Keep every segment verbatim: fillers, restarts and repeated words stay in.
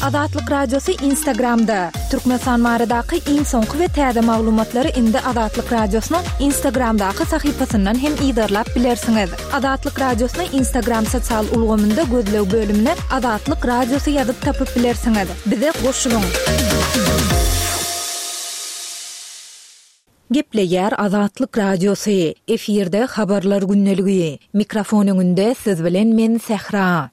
Azatlyk Radiosy Instagramda. Türkmenistan baradaky iň soňky we täze maglumatlary indi Azatlyk Radiosynyň Instagramdaky sahypasyndan hem yzarlap bilersiňiz. Azatlyk Radiosyny Instagram sosial ulgamynda gözleg bölümine Azatlyk Radiosy ýazyp tapyp bilersiňiz. Bize goşulyň. Gepleýär Azatlyk Radiosy. Efirde habarlar gündeligi. Mikrofon öňünde siz bilen men Sähra.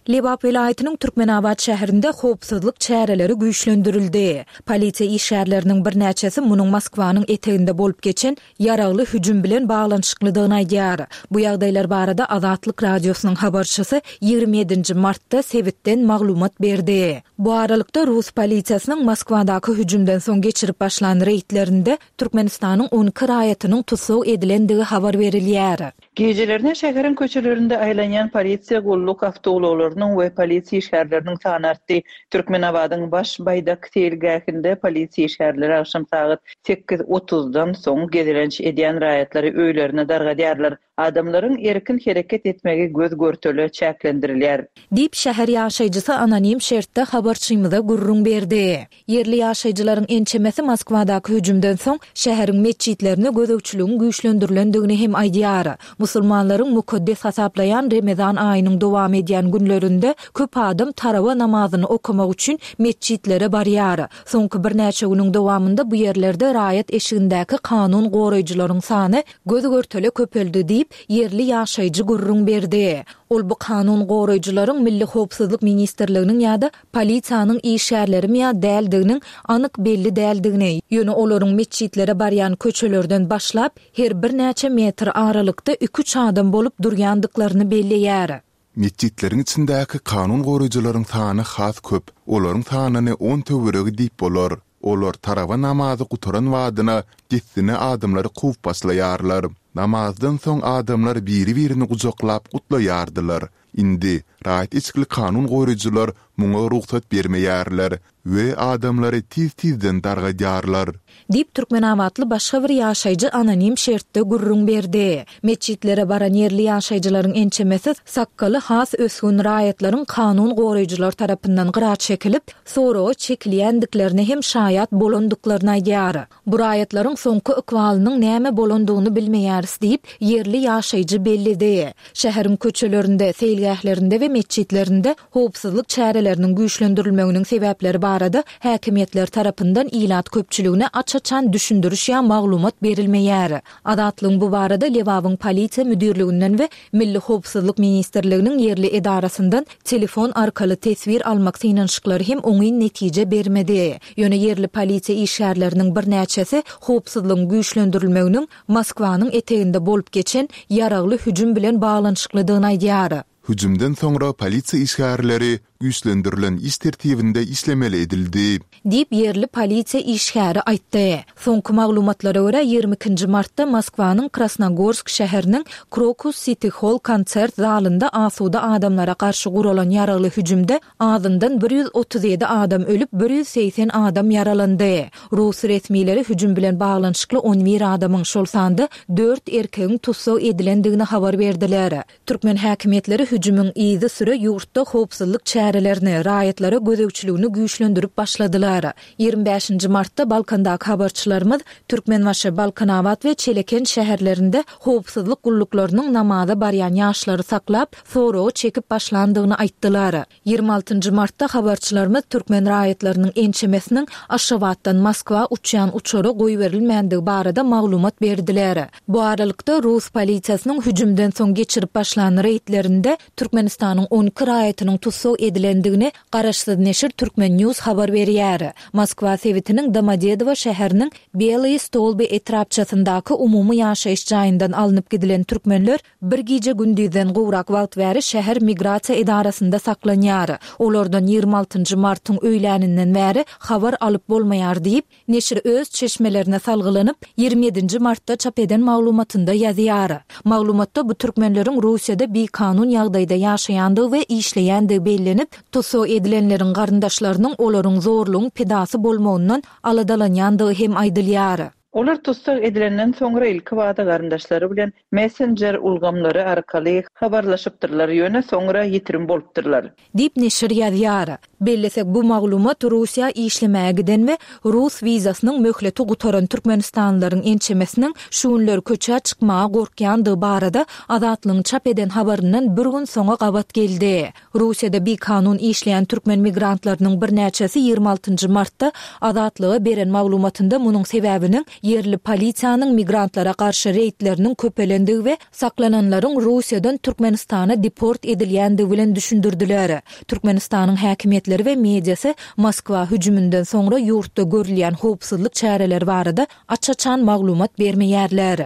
Lebap welaýatynyň Türkmenabat şäherinde howpsuzlyk çäreleri güýçlendirildi. Polisiýa işgärleriniň birnäçesi munuň Moskwanyň eteginde bolup geçen ýaragly hüjüm bilen baglanyşyklydygyny aýdýar. Bu ýagdaýlar barada Azatlyk Radiosynyň habarçysy ýigrimi ýedinji martda sebitden maglumat berdi. Bu aralykda, rus polisiýasynyň Moskwadaky hüjümden soň geçirip başlan reýdlerinde Türkmenistanyň on iki raýatynyň tussag edilendigi habar berilýär. Gijelerine şäheriň köçelerinde aýlanýan polisiýa gulluk awtoulaglarynyň we polisiýa işgärleriniň sany artdy. Türkmenabadyň Baş baýdak seýilgähinde polisiýa işgärleri agşam sagat sekiz otuzdan soň gezelenç edýän raýatlary öýlerine dargadýarlar. Adamlaryň erkin hereket etmegi göz-görtele çäklendirilýär. Diýip, şäher ýaşaýjysy anonim şertde habarçymyza gürrüň berdi. Ýerli ýaşaýjylaryň ençemesi Moskwadaky hüjümden soň şäheriň metjitlerine gözegçiligiň güýçlendirilendigini hem aýdýar. Musulmanlaryň mukaddes hasaplaýan Remezan aýynyň dowam edýän günlerinde köp adam tarawa namazyny okamak üçin metjitlere barýar. Soňky birnäçe günüň dowamynda bu ýerlerde raýat eşigindäki kanun goraýjylaryň sany göz-görtele köpeldi diýip, ýerli ýaşaýjy gürrüň berdi. Ol bu kanun goraýjylaryň Milli howpsuzlyk ministrliginiň ýa-da polisiýanyň işgärlerimi ýa däldiginiň anyk belli däldigini, ýöne olaryň metjitlere barýan köçelerden başlap, her birnäçe metr aralykda iki-üç adam bolup durýandyklaryny belleýär. Metjitleriň içindäki kanun goraýjylaryň sany has köp, olaryň sanyny on töweregi diýip bolar. Olar tarawa namazy gutaran badyna dessine adamlary kowup başlaýarlar. Namazdan soň adamlar biri-birini gujaklap gutlaýardylar. Indi raýat eşikli kanun goraýjylar muňa rugsat bermeýärler we adamlary tiz-tizden dargadýarlar. Diýip, türkmenabatly başga bir ýaşaýjy anonim şertde gürrüň berdi. Metjitlere baran ýerli ýaşaýjylaryň ençemesi sakgaly has ösgün raýatlaryň kanun goraýjylar tarapyndan gyra çekilip, soraga çekilýändiklerine hem şaýat bolandyklaryny aýdýar. Bu raýatlaryň soňky ykbalynyň näme bolandygyny bilmeýäris diýip, ýerli ýaşaýjy belledi. Şäheriň köçelerinde, seýilgählerinde we metjitlerinde howpsuzlyk çäreleriniň güýçlendirilmeginiň sebäpleri barada häkimiýetler tarapyndan ilat köpçüligine aç-açan düşündiriş ýa maglumat berilmeýär. Azatlygyň bu barada Lebabyň polisiýa müdirliginden we Milli howpsuzlyk ministrliginiň ýerli edarasyndan telefon arkaly teswir almak synanyşyklary hem oňyn netije bermedi. Ýöne ýerli polisiýa işgärleriniň birnäçesi howpsuzlygyň güýçlendirilmeginiň Moskwanyň eteginde bolup geçen ýaragly hüjüm bilen baglanyşyklydygyny aýdýar. Hüjümden soňra polisiýa işgärleri güýçlendirilen iş tertibinde işlemeli edildi. Diýip, ýerli polisiýa işgäri aýtdy. Soňky maglumatlara görä, ýigrimi ikinji martda Moskwanyň Krasnogorsk şäheriniň Krokus Siti Hall konsert zalynda asuda adamlara garşy guralan ýaragly hüjümde azyndan bir ýüz otuz ýedi adam ölüp, bir ýüz segsen adam ýaralandy. Rus resmileri hüjüm bilen baglanyşykly on bir adamyň, şol sanda dört erkegiň tussag edilendigini habar berdiler. Türkmen häkimiýetleri hüjümiň yzysüre ýurtda howpsuzlyk çärelerini, raýatlara gözegçiligini güýçlendirip başladylar. Ýigrimi bäşinji martda Balkandaky habarçylarymyz Türkmenbaşy, Balkanabat we Çeleken şäherlerinde howpsuzlyk gulluklarynyň namaza barýan ýaşlary saklap, soraga çekip başlandygyny aýtdylar. Ýigrimi altynjy martda habarçylarymyz türkmen raýatlarynyň ençemesiniň Aşgabatdan Moskwa uçýan uçara goýberilmändigi barada maglumat berdiler. Bu aralykda, rus polisiýasynyň hüjümden soň geçirip başlan reýdlerinde Türkmenistanyň on iki raýatynyň tussag edilendigini garaşsyz neşir Turkmen News habar berýär. Moskwa sebitiniň Domodedowo şäheriniň Belyý Stolby etrapçasyndaky umumy ýaşaýyş jaýyndan alnyp gidilen türkmenler bir gije-gündizden gowrak wagt bäri şäher migrasiýa edarasynda saklanýar. Olardan ýigrimi altynjy martyň öýläninden bäri habar alyp bolmaýar diýip, neşir öz çeşmelerine salgylanyp, ýigrimi ýedinji martda çap eden maglumatynda ýazýar. Maglumatda bu türkmenleriň Russiýada bikanun ýagdaýda ýaşaýandygy we işleýändigi bellenip, tussag edilenleriň garyndaşlarynyň olaryň zorlugyň pidasy bolmagyndan aladalanýandygy hem aýdylýar. Olar tussag edilenden soňra ilkibada garyndaşlary bilen messenjer ulgamlary arkaly habarlaşypdyrlar, ýöne soňra ýitirim bolupdyrlar. Diýip neşir ýazýar. Bellesek, bu maglumat Russiýa işlemäge giden we rus wizasynyň möhleti gutaran türkmenistanlylaryň ençemesiniň şu günler köçä çykmaga gorkýandygy barada Azatlygyň çap eden habaryndan bir gün soňa gabat geldi. Russiýada bikanun işleýän türkmen migrantlarynyň birnäçesi ýigrimi altynjy martda Azatlyga beren maglumatynda munuň sebäbiniň ýerli polisiýanyň migrantlara garşy reýdleriniň köpelendigi we saklananlaryň Russiýadan Türkmenistana deport edilýändigi bilen düşündirdiler. Türkmenistanyň häkimiýetleri we mediasy Moskwa hüjüminden soňra ýurtda görülýän howpsuzlyk çäreleri barada aç-açan maglumat bermeýärler.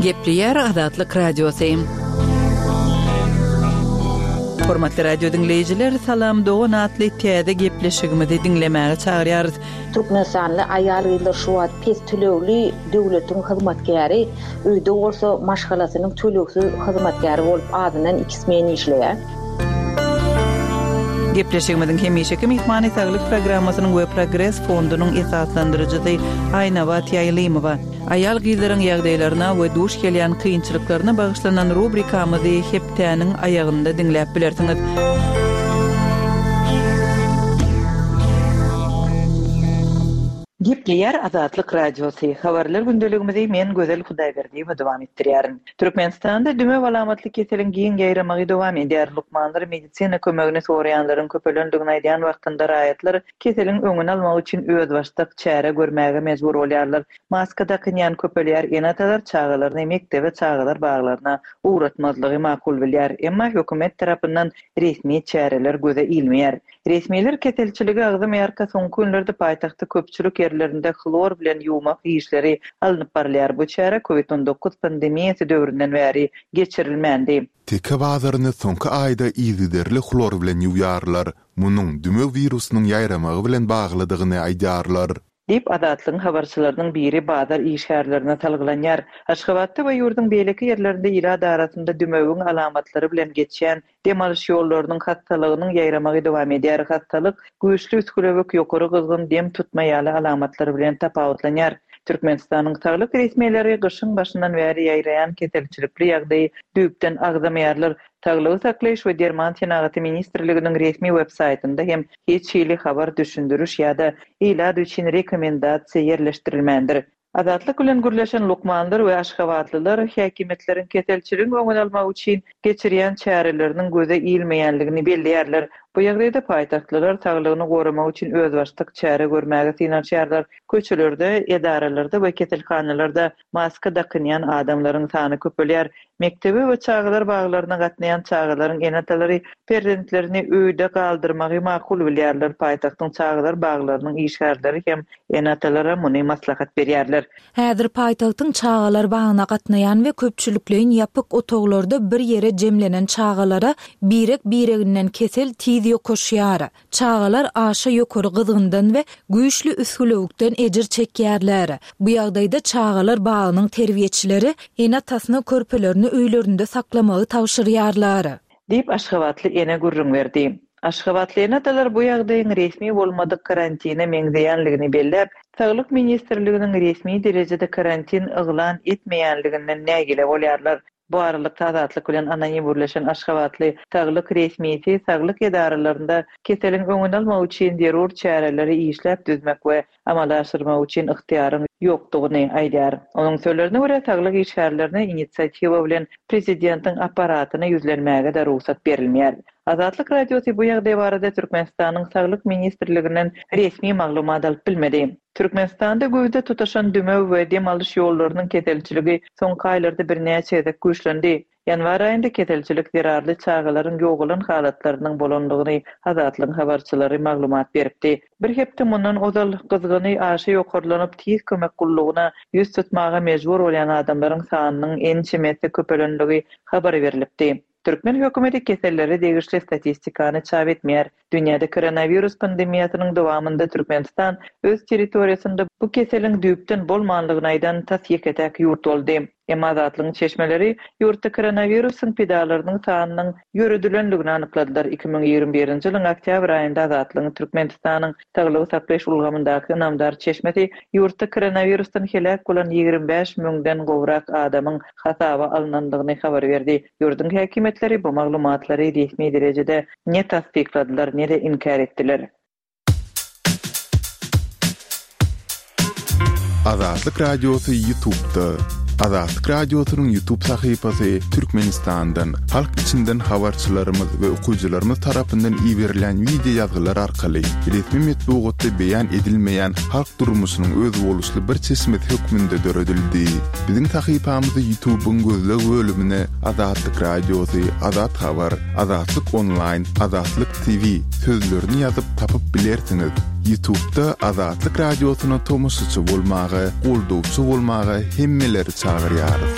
Gepleýär Azatlyk Radiosy. Hormatly radio diňleýjiler, Salam dogan atly täze gepleşigimizi diňlemäge çagyrýarys. Türkmenistanly aýal-gyzlar şu wagt pes tölegli döwletiň hyzmatkäri, öýde bolsa maşgalasynyň tölegsiz hyzmatkäri bolup azyndan iki smen işleýär. Gepleşigimiziň hemişeki myhmany Saglyk programmasynyň we Progres fondunyň esaslandyryjysy Aýnabat Ýaýlymowa. Aýal-gyzlaryň ýagdaýlaryna we duş gelýän kynçylyklaryna bagyşlanan rubrikamyzy hepdäniň aýagynda diňläp bilersiňiz. Gepleýär Azatlyk Radiosy. Habarlar gündeligimizi men Gözel Hudaýberdiýewa dowam etdirýärin. Türkmenistanda dümew alamatly keseliň giň ýaýramagy dowam edýär. Lukmanlar medisina kömegini soraýanlaryň köpelendigini aýdýan wagtynda raýatlar keseliň öňüni almak üçin özbaşdak çäre görmäge mejbur bolýarlar. Maska dakynýan köpelýär, ene-atalar çagalaryny mekdebe, çagalar baglaryna ugratmazlygy makul bilýär. Emma hökümet tarapyndan resmi çäreler göze ilmeýär. Resmiler keselçiligi agzamaýarka soňky günlerde paýtagtda köpçülik ýerlerinde hlor bilen ýuwmak işleri alnyp barylýar. Bu çäre COVID on dokuz pandemiýasy döwründen bäri geçirilmändi. Teke bazaryny soňky aýda yzygiderli hlor bilen ýuwýarlar. Munuň dümew wirusynyň ýaýramagy bilen baglydygyny aýdýarlar. Diýip Azatlygyň habarçylarynyň biri bazar işgärlerine salgylanýar. Aşgabatda we ýurduň beýleki ýerlerinde ilat arasynda dümewiň alamatlary bilen geçýän dem alyş ýollarynyň hastalygynyň ýaýramagy dowam edýär. Hastalyk güýçli üsgülewük, ýokary gyzgyn dem tutma ýaly alamatlar bilen tapawutlanýar. Türkmenistanyň saglyk resmileri gyşyň başyndan bäri ýaýraýan keselçilikli ýagdaýy düýpden agzamaýarlar. Saglygy saklaýyş we derman senagaty ministrliginiň resmi web saýtynda hem hiç hili habar düşündiriş ýa-da ilat üçin rekomendasiýa ýerleşdirilmändir. Azatlyk bilen gürleşen lukmanlar we aşgabatlylar häkimiýetleriň keselçiligiň öňüni almak üçin geçirýän çäreleriniň göze ilmeýänligini belleýärler. Bu ýagdaýda paýtagtlylar saglygyny goramak üçin özbaşdak çäre görmäge synanyşýarlar. Köçelerde, edaralarda we keselhanalarda maska dakynýan adamlaryň sany köpelýär. Mekdebe we çagalar baglaryna gatnaýan çagalaryň ene-atalary perzentlerini öýde galdyrmagy makul bilýärler. Paýtagtyň çagalar baglarynyň işgärleri hem ene-atalara muny maslahat berýärler. Häzir paýtagtyň çagalar bagyna gatnaýan we köpçülikleýin ýapyk otaglarda bir ýere jemlenen çagalara birek-bireginden kesel tiz ýokaşýar. Çagalar aşa ýokary gyzgyndan we güýçli üsgülewükden ejir çekýärler. Bu ýagdaýda çagalar bagynyň terbiýeçileri ene-atasyna körpelerini öýlerinde saklamagy tabşyrýarlar. Diýip Aşgabatly ene gürrüň berdi. Aşgabatly ene-atalar bu ýagdaýyň resmi bolmadyk karantine meňzeýänligini belläp, Saglyk ministrliginiň resmi derejede karantin yglan etmeýänliginden nägile bolýarlar. Bu aralykda Azatlyk bilen anonim gürleşen Aşgabatly saglyk resmisi saglyk edaralarynda keseliň öňüni almak üçin zerur çäreleri işläp düzmek we amala aşyrmak üçin ygtyýaryň ýokdugyny aýdýar. Onuň sözlerine görä saglyk işgärlerine inisiatiwa bilen prezidentiň apparatyna ýüzlenmäge de rugsat berilmeýär. Azatlyk Radiosy bu ýagdaý barada Türkmenistanyň Saglyk ministrliginden resmi maglumat alyp bilmedi. Türkmenistanda güýzde tutaşan dümew we dem alyş ýollarynyň keselçiligi soňky aýlarda birnäçe gezek güýçlendi. Ýanwar aýynda keselçilik zerarly çagalaryň ýogalan halatlarynyň bolandygyny Azatlygyň habarçylary maglumat beripdi. Bir hepde mundan ozal gyzgyny aşa ýokarlanyp tiz kömek gullugyna ýüz tutmaga mejbur bolýan adamlaryň sanynyň ençemesi köpelenligi habar berilipdi. Türkmen hökümeti kesellere degişli statistikany çap etmeýär. Dünýäde koronavirus pandemiýasynyň dowamynda Türkmenistan öz territoriýasynda bu keseliň düýpden bolmanlygyny aýdan tas ýeke-täk ýurt boldy. Emma Azatlygyň çeşmeleri ýurtda koronawirusyň pidalarynyň sanynyň ýöredilendigini anykladylar. Iki müň ýigrimi birinji ýylyň oktýabr aýynda Azatlygyň Türkmenistanyň saglygy saklaýyş ulgamyndaky ynamdar çeşmesi ýurtda koronawirusdan heläk bolan ýigrimi bäş müňden gowrak adamyň hasaba alnandygyny habar berdi. Ýurduň häkimiýetleri bu maglumatlary resmi derejede ne tassykladylar, ne-de inkär etdiler. Azatlyk Radiosy YouTube'da. Azatlyk Radiosynyň YouTube sahypasy Türkmenistandan, halk içinden habarçylarymyz we okyjylarymyz tarapyndan iberilen wideo ýazgylar arkaly resmi metbugatda beýan edilmeýän halk durmuşynyň özboluşly bir çeşmesi hökmünde döredildi. Biziň sahypamyzy YouTube'yň gözleg bölümine Azatlyk Radiosy, Azat Habar, Azatlyk Online, Azatlyk T V sözlerini ýazyp tapyp bilersiňiz. YouTube'da Azatlyk Radiosyna tomaşaçy bolmaga, goldawçy bolmaga hemmeleri çagyrýarys.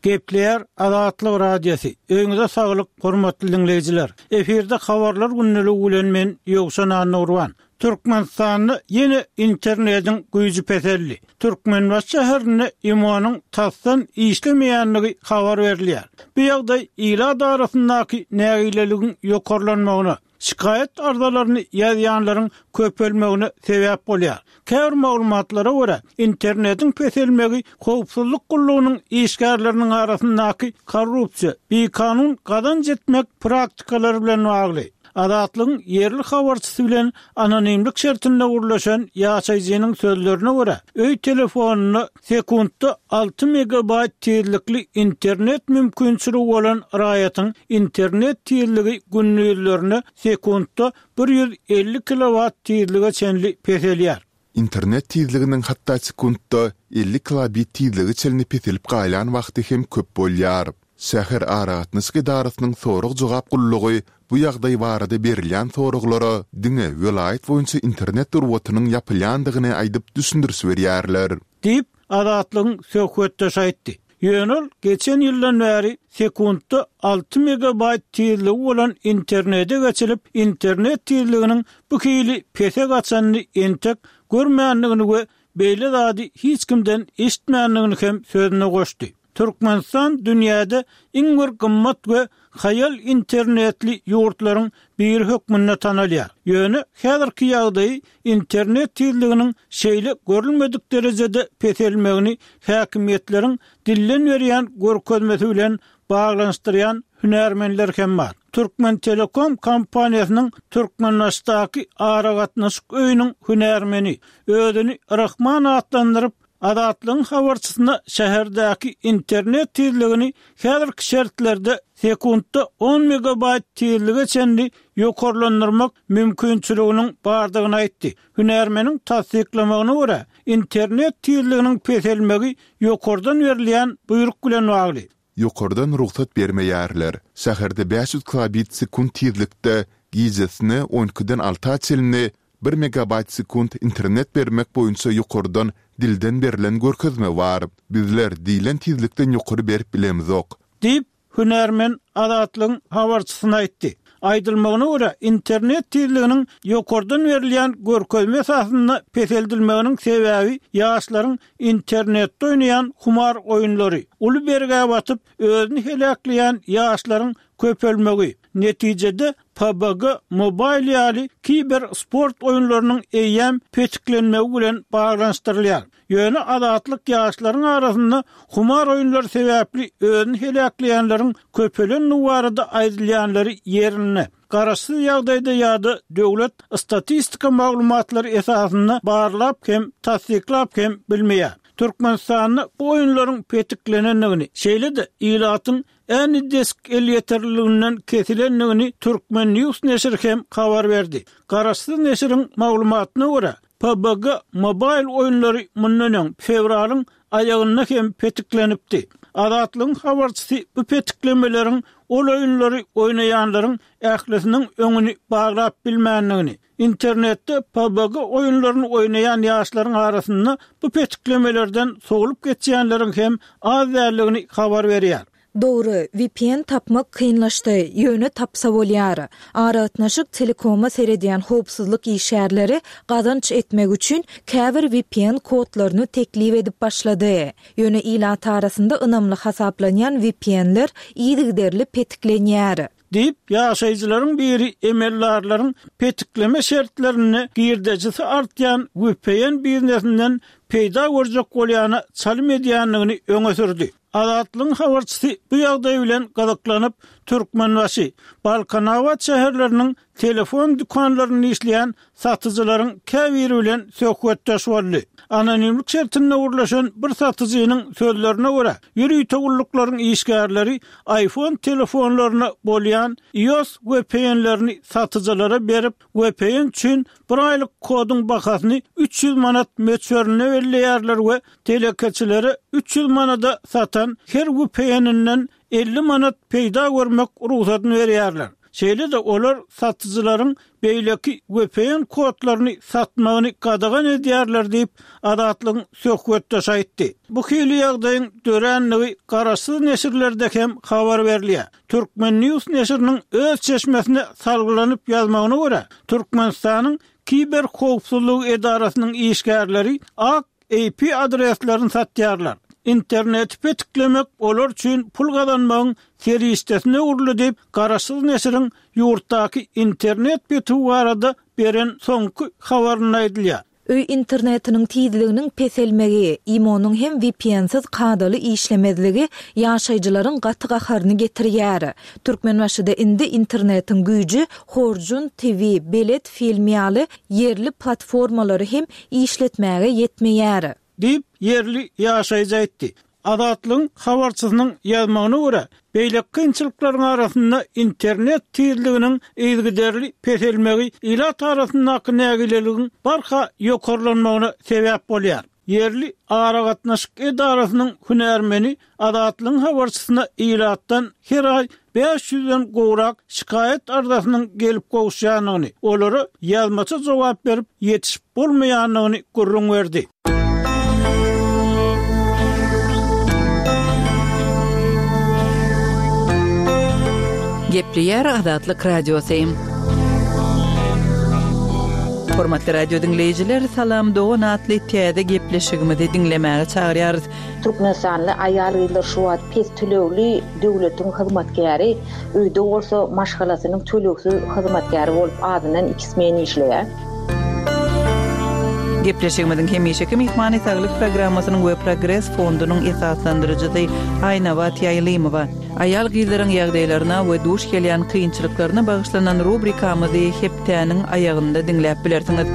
Gepleýär Azatlyk Radiosy. Öýüňize saglyk, hormatly dinleýjiler. Efirde habarlar gündeligi bilen men Ýowşan Annurban. Türkmenistanda ýene internetiň güýji peseldi. Türkmenbaşy şäherinde İMO'nyň tasdan işlemeýänligi habar berilýär. Bu ýagdaý ilat arasyndaky nägileligiň ýokarlanmagyna, şikaýat arzalaryny ýazýanlaryň köpelmegine sebäp bolýar. Käbir maglumatlara görä, internetiň peselmegi howpsuzlyk gullugynyň işgärleriniň arasyndaky korrupsiýa, bikanun gazanç etmek praktikalary bilen bagly. Azatlygyň ýerli habarçysy bilen anonimlik şertinde gurlaşan ýaşaýjynyň sözlerine görä, öý telefonuna sekuntda alty megabayt tizlikli internet mümkinçiligi bolan raýatyň internet tizligi günlüklerine sekuntda bir ýüz elli kilowat tizlige çenli peselýär. Internet tizliginiň hatda sekuntda elli kilobit tizligi çenli peselip gaýlan wagty hem köp bolýar. Şäher aragatnaşyk edarasynyň sorag-jogap gullugy bu ýagdaý barada berilýän soraglara diňe welaýat boýunça internet durwatynyň ýapylýandygyny aýdyp düşündiriş berýärler. Diýip, Azatlygyň söhbetdeşi aýtdy. Ýöne ol geçen ýyldan bäri sekuntda alty megabayt tizligi bolan internete geçilip, internet tizliginiň bu hili pese gaçanyny entek görmändigini we beýle zady hiç kimden eşitmändigini hem sözüne goşdy. Türkmenistan dünýäde iň bir gymmat we haýal internetli ýurtlaryň biri hökmünde tanalýar. Ýöne häzirki ýagdaýy internet tizliginiň şeýle görülmedik derejede peselmegini häkimiýetleriň dilden berýän görkezmesi bilen baglanyşdyrýan hünärmenler hem bar. Türkmen Telekom kompaniýasynyň Türkmenbaşdaky aragatnaşyk öýüniň hünärmeni özüni Rahman atlandyryp Azatlygyň habarçysyna şäherdäki internet tizligini häzirki şertlerde sekuntda on megabayt tizlige çenli ýokarlandyrmak mümkinçiliginiň bardygyny aýtdy. Hünärmeniň tassyklamagyna görä, internet tizliginiň peselmegi ýokardan berilýän buýruk bilen bagly. Ýokardan rugsat bermeýärler. Şäherde bäş ýüz kilobit sekunt tizlikde gijesine on ikiden alta çenli bir megabayt sekunt internet bermek boýunça ýokardan dilden berlen görkezme bar. Bizler diýlen tizlikden ýokary berip bilemizok. Diýip, hünärmen Azatlygyň habarçysyna aýtdy. Aýdylmagyna görä, internet tizliginiň ýokardan berilýän görkezme esasynda peseldilmeginiň sebäbi ýaşlaryň internetde oýnaýan humar oýunlary, uly bergä batyp, özüni heläkleýän ýaşlaryň köpelmegi, netijede P U B G Mobile ýaly kiber sport oýunlarynyň eýýäm petiklenmegi bilen baglanyşdyrylýar. Ýöne Azatlyk ýaşlaryň arasynda humar oýunlary sebäpli özüni heläkleýänleriň köpelen barada aýdylýanlary ýerinde garaşsyz ýagdaýda ýa-da döwlet statistika maglumatlary esasynda barlap hem tassyklap hem bilmeýär. Türkmenistanda bu oýunlaryň petiklenendigini, şeýle-de ilatyň Anydesk elýeterliliginden kesilendigini Türkmen News neşiri hem habar berdi. Garaşsyz neşiriň maglumatyna görä, P U B G Mobile oýunlary mundan öň fewralyň aýagynda hem petiklenipdi. Azatlygyň habarçysy bu petiklemeleriň ol oýunlary oýnaýanlaryň ählisiniň öňüni baglap bilmändigini, internetde P U B G oýunlaryny oýnaýan ýaşlaryň arasynda bu petiklemelerden sowlup geçýänleriň hem az däldigini habar berýär. Dogry, V P N tapmak kynlaşdy, ýöne tapsa bolýar. Aragatnaşyk telekoma seredýän howpsuzlyk işgärleri gazanç etmek üçin käbir V P N kodlaryny teklip edip başlady. Ýöne ilat arasynda ynamly hasaplanýan V P N-ler yzygiderli petiklenýär. Diýip, ýaşaýjylaryň biri emeldarlaryň petikleme şertlerinde girdejisi artýan V P N biznesinden peýda görjek bolýana çalym edýändigini öňe sürdi. Azatlygyň habarçysy bu ýagdaý bilen gyzyklanyp, Türkmenbaşy, Balkanabat şäherleriniň telefon dükanlarynda işleýän satyjylaryň käbiri bilen söhbetdeş boldy. Anonimlik şertinde gürleşen bir satyjynyň sözlerine görä, ýörite gulluklaryň işgärleri iPhone telefonlaryna bolýan iOS V P N-lerini satyjylara berip, V P N üçin bir aýlyk koduň bahasyny üç ýüz manat möçberinde belleýärler we telekeçilere üç ýüz manada satan her V P N-inden elli manat peýda görmek rugsadyny berýärler. Şeýle-de olar satyjylaryň beýleki V P N kodlaryny satmagyny gadagan edýärler diýip, Azatlygyň söhbetdeşi aýtdy. Bu hili ýagdaýyň döränligi garaşsyz neşirlerde hem habar berilýär. Türkmen News neşiriniň öz çeşmesine salgylanyp ýazmagyna görä, Türkmenistanyň kiber howpsuzlygy edarasynyň işgärleri ak I P adreslerini satýarlar. Interneti petiklemek olar üçin pul gazanmagyň serişdesine öwrüldi diýip, garaşsyz neşiriň ýurtdaky internet petigi barada beren soňky habarynda aýdylýar. Öý internetiniň tizliginiň peselmegi, IMO-nyň hem V P N-siz kadaly işlemezligi ýaşaýjylaryň gaty gaharyny getirýär. Türkmenbaşyda indi internetiň güýji Horjun T V, Belet film ýaly ýerli platformalary hem işletmäge ýetmeýär. Diýip, ýerli ýaşaýjy aýtdy. Azatlygyň habarçysynyň ýazmagyna görä, beýleki kynçylyklaryň arasynda internet tizliginiň yzygiderli peselmegi ilat arasyndaky nägileligiň barha ýokarlanmagyna sebäp bolýar. Ýerli aragatnaşyk edarasynyň hünärmeni Azatlygyň habarçysyna ilatdan her aý bäş ýüzden gowrak şikaýat arzasynyň gelip gowuşýandygyny, olara ýazmaça jogap berip ýetişip bolmaýandygyny gürrüň berdi. Gepleýär Azatlyk Radiosy. Hormatly radio diňleýjiler, Salam dogan atly täze gepleşigimizi diňlemäge çagyrýarys. Türkmenistanly aýal-gyzlar şu wagt pes tölegli döwletiň hyzmatkäri, öýde bolsa maşgalasynyň tölegsiz hyzmatkäri bolup azyndan iki smen işleýär. Gepleşigimiziň hemişeki myhmany Saglyk programmasynyň we Progres fondunyň esaslandyryjysy Aýnabat Ýaýlymowa. Aýal gyzlaryň ýagdaýlaryna we duş gelýän kynçylyklaryna bagyşlanan rubrikamyzy hepdäniň aýagynda diňläp bilersiňiz.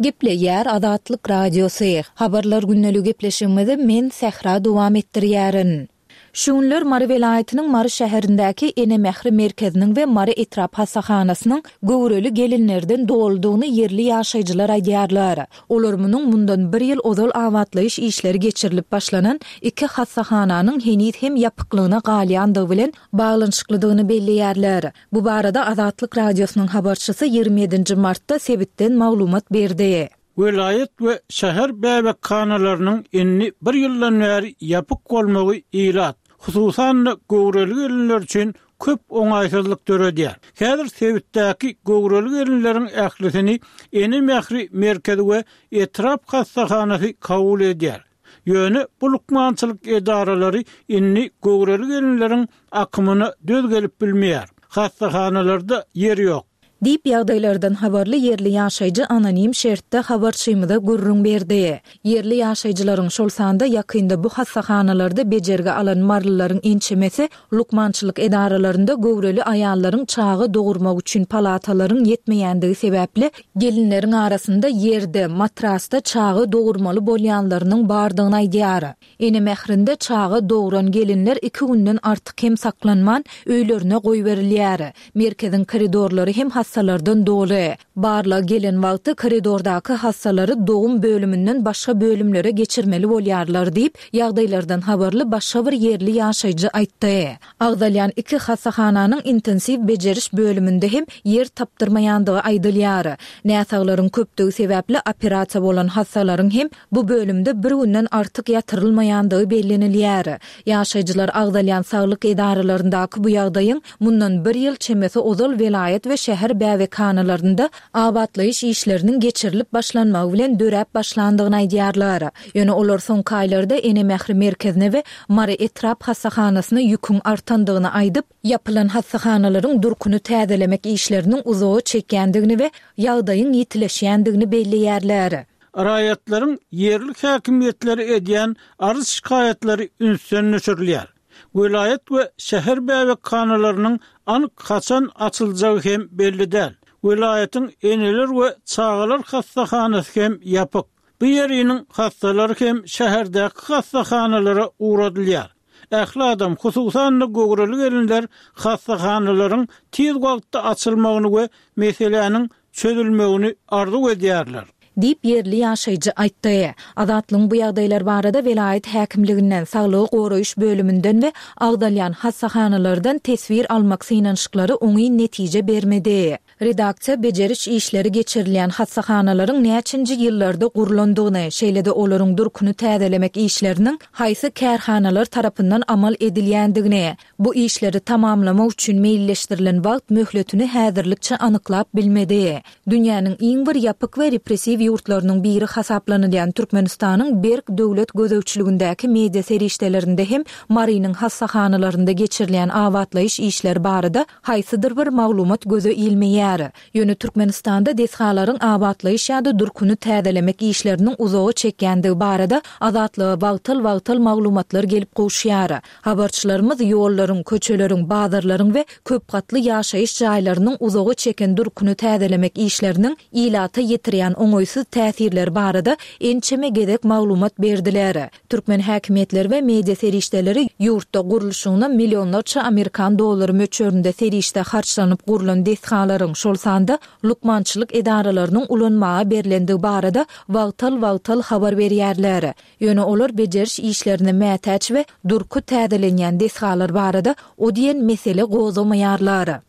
Gepleýär Azatlyk Radiosy. Habarlar gündeligi gepleşigimizi men Sähra dowam etdirýärin. Şu günler Mary welaýatynyň Mary şäherindäki Ene Mähri merkeziniň we Mary etrap hassahanasynyň göwreli gelinlerden doludygyny ýerli ýaşaýjylar aýdýarlar. Olar munuň mundan bir ýyl ozal abatlaýyş işleri geçirilip başlanan iki hassahananyň heniz hem ýapyklygyna galýandygy bilen baglanyşyklydygyny belleýärler. Bu barada Azatlyk Radiosynyň habarçysy ýigrimi ýedinji martda sebitden maglumat berdi. Welaýat we şäher bäbekhanalarynyň indi bir ýyldan bäri ýapyk bolmagy ilat, hususan-da göwreli gelinler üçin köp oňaýsyzlyk döredýär. Häzir sebitdäki göwreli gelinleriň ählisini Ene Mähri merkezi we etrap hassahanasy kabul edýär. Ýöne bu lukmançylyk edaralary indi göwreli gelinleriň akymyna döz gelip bilmeýär. Hassahanalarda ýer ýok. Diýip ýagdaýlardan habarly ýerli ýaşaýjy anonim şertde habarçymyza gürrüň berdi. Ýerli ýaşaýjylaryň şol sanda ýakynda bu hassahanalarda bejergi alan marylylaryň ençemesi lukmançylyk edaralarynda göwreli aýallaryň çaga dogurmak üçin palatalaryň ýetmeýändigi sebäpli gelinleriň arasynda ýerde, matrasda çaga dogurmaly bolýanlarynyň bardygyny aýdýar. Ene mährinde çaga dogran gelinler iki günden artyk hem saklanman öýlerine goýberilýär. Merkeziň koridorlary hem hassalardan doly. Barlag gelen wagty koridordaky hassalary dogum bölüminden başga bölümlere geçirmeli bolýarlar diýip, ýagdaýlardan habarly başga bir ýerli ýaşaýjy aýtdy. Agzalýan iki hassahananyň intensiw bejeriş bölüminde hem ýer tapdyrmaýandygy aýdylýar. Näsaglaryň köpdügi sebäpli operasiýa bolan hassalaryň hem bu bölümde bir günden artyk ýatyrylmaýandygy bellenilýär. Ýaşaýjylar agzalýan saglyk edaralaryndaky bu ýagdaýyň mundan bir ýyl çemesi ozal welaýat we şäher bäbekhanalarynda abatlaýyş işleriniň geçirilip başlanmagy bilen döräp başlandygyny aýdýarlar. Ýöne olar soňky aýlarda Ene mähri merkezine we Mary etrap hassahanasyna ýüküň artandygyny aýdyp, ýapylan hassahanalaryň durkuny täzelemek işleriniň uzaga çekýändigini we ýagdaýyň ýitileşýändigini belleýärler. Raýatlaryň ýerli häkimiýetlere edýän arz-şikaýatlary ünsden düşürilýär. Welaýat we şäher bäbekhanalarynyň anyk haçan açyljagy hem belli däl. Welaýatyň eneler we çagalar hassahanasy hem ýapyk. Bu ýeriniň hassalary hem şäherdäki hassahanalara ugradylýar. Ähli adam, hususan-da göwreli gelinler hassahanalaryň tiz wagtda açylmagyny we meseläniň çözülmegini arzuw edýärler. Diýip, ýerli ýaşaýjy aýtdy. Azatlygyň bu ýagdaýlar barada welaýat häkimliginden, saglygy goraýyş bölüminden we agzalýan hassahanalardan teswir almak synanyşyklary oňyn netije bermedi. Redaksiýa bejeriş işleri geçirilýän hassahanalaryň näçinji ýyllarda gurlandygyny, şeýle-de olaryň durkuny täzelemek işleriniň haýsy kärhanalar tarapyndan amal edilýändigini, bu işleri tamamlamak üçin meýilleşdirilen wagt möhletini häzirlikçe anyklap bilmedi. Dünýäniň iň bir ýapyk we repressiw ýurtlarynyň biri hasaplanylýan Türkmenistanyň berk döwlet gözegçiligindäki media serişdelerinde hem Marynyň hassahanalarynda geçirilýän abatlaýyş işleri barada haýsydyr bir maglumat göze ilmeýär. Ýöne Türkmenistanda desgalaryň abatlaýyş ýa-da durkuny täzelemek işleriniň uzaga çekýändigi barada Azatlyga wagtal-wagtal maglumatlar gelip gowuşýar. Habarçylarymyz ýollaryň, köçeleriň, bazarlaryň we köp gatly ýaşaýyş jaýlarynyň uzaga çeken durkuny täzelemek işleriniň ilata ýetirýän oňaýsyz täsirleri barada ençeme gezek maglumat berdiler. Türkmen häkimiýetleri we media serişdeleri ýurtda gurluşygyna millionlarça amerikan dollary möçberinde serişde harçlanyp gurlan desgalaryň, şol sanda lukmançylyk edaralarynyň ulanmaga berlendigi barada wagtal-wagtal habar berýärler. Ýöne olar bejeriş işlerine mätäç we durky täzelenýän desgalar barada o diýen mesele gozgamaýarlar.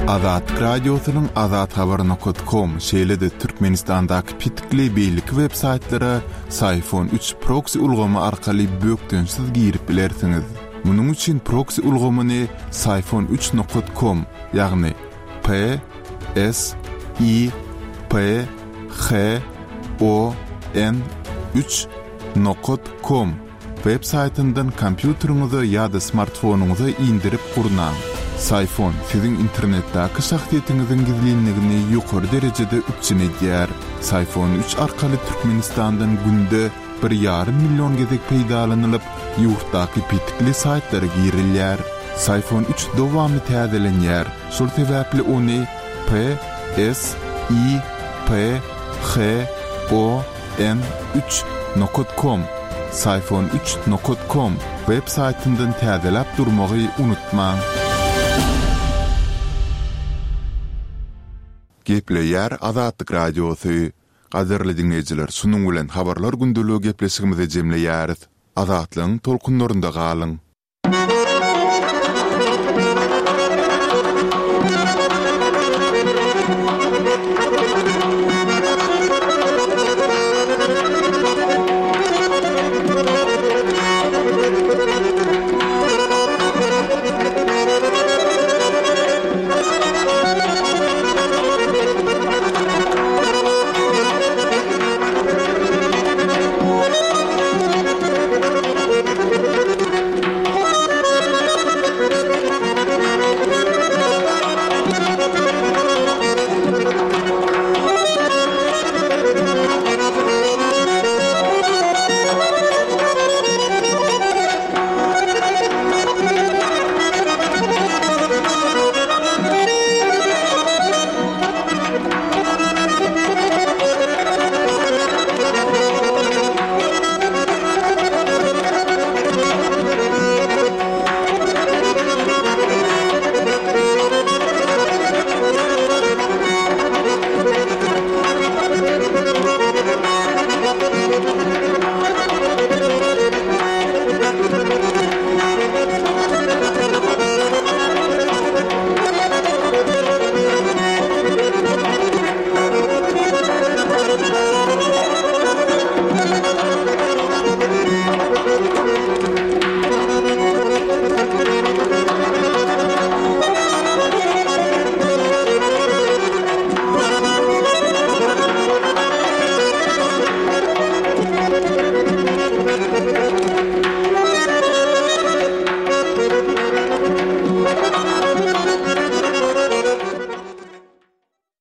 Azatlyk Radiosynyň azathabar nokat kom, şeýle-de Türkmenistandaky petikli beýleki web saýtlara Syfon üç proksi ulgamy arkaly bökdençsiz girip bilersiňiz. Munuň üçin proksi ulgamyny Syfon üç nokat kom, ýagny P S I P H O N üç nokat kom web saýtyndan kompýuteriňize ýa-da smartfonyňyza indirip gurnaň. Syfon siziň internetdäki şahsyýetiňiziň gizlinligini ýokary derejede üpjün edýär. Syfon üç arkaly Türkmenistandan günde bir ýarym million gezek peýdalanylyp, ýurtdaky petikli saýtlara girilýär. Syfon üç dowamly täzelenýär, şol sebäpli ony P S I P H O N üç nokat kom, Syfon üç nokat kom web saýtyndan täzeläp durmagy unutmaň. Gepleýär Azatlyk Radiosy. Gadyrly diňleýjiler, şunuň bilen Habarlar gündeligi gepleşigimizi jemleýäris. Azatlygyň tolkunlarynda galyň!